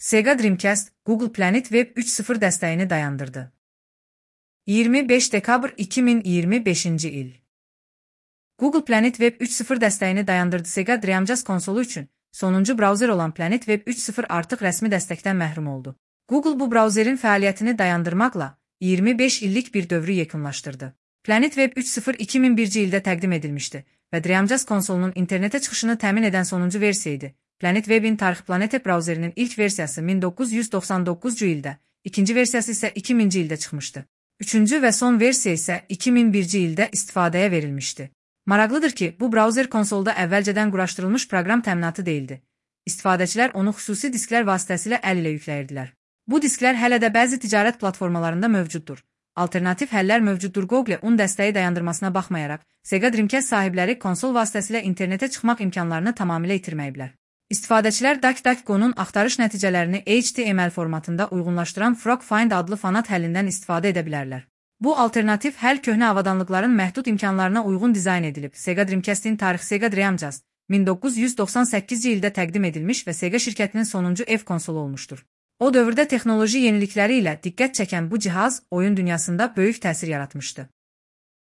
Sega Dreamcast, Google Planet Web 3.0 dəstəyini dayandırdı. 25 dekabr 2025-ci il. Google Planet Web 3.0 dəstəyini dayandırdı. Sega Dreamcast konsolu üçün sonuncu brauzer olan Planet Web 3.0 artıq rəsmi dəstəkdən məhrum oldu. Google bu brauzerin fəaliyyətini dayandırmaqla 25 illik bir dövrü yekunlaşdırdı. Planet Web 3.0 2001-ci ildə təqdim edilmişdi və Dreamcast konsolunun internetə çıxışını təmin edən sonuncu versiya idi. Planet Web'in tarixi Planet brauzerinin ilk versiyası 1999-cu ildə, ikinci versiyası isə 2000-ci ildə çıxmışdı. Üçüncü və son versiya isə 2001-ci ildə istifadəyə verilmişdi. Maraqlıdır ki, bu brauzer konsolda əvvəlcədən quraşdırılmış proqram təminatı deyildi. İstifadəçilər onu xüsusi disklər vasitəsilə əl ilə yükləyirdilər. Bu disklər hələ də bəzi ticarət platformalarında mövcuddur. Alternativ həllər mövcuddur. Google un dəstəyi dayandırmasına baxmayaraq, Sega Dreamcast sahibləri konsol vasitəsilə internetə çıxmaq imkanlarını tamamilə itirməyiblər. İstifadəçilər DuckDuckGo'nun axtarış nəticələrini HTML formatında uyğunlaşdıran FrogFind adlı fanat həllindən istifadə edə bilərlər. Bu alternativ həll köhnə avadanlıqların məhdud imkanlarına uyğun dizayn edilib. Sega Dreamcast'in tarixi Sega Dreamcast 1998-ci ildə təqdim edilmiş və Sega şirkətinin sonuncu ev konsolu olmuşdur. O dövrdə texnoloji yenilikləri ilə diqqət çəkən bu cihaz oyun dünyasında böyük təsir yaratmışdı.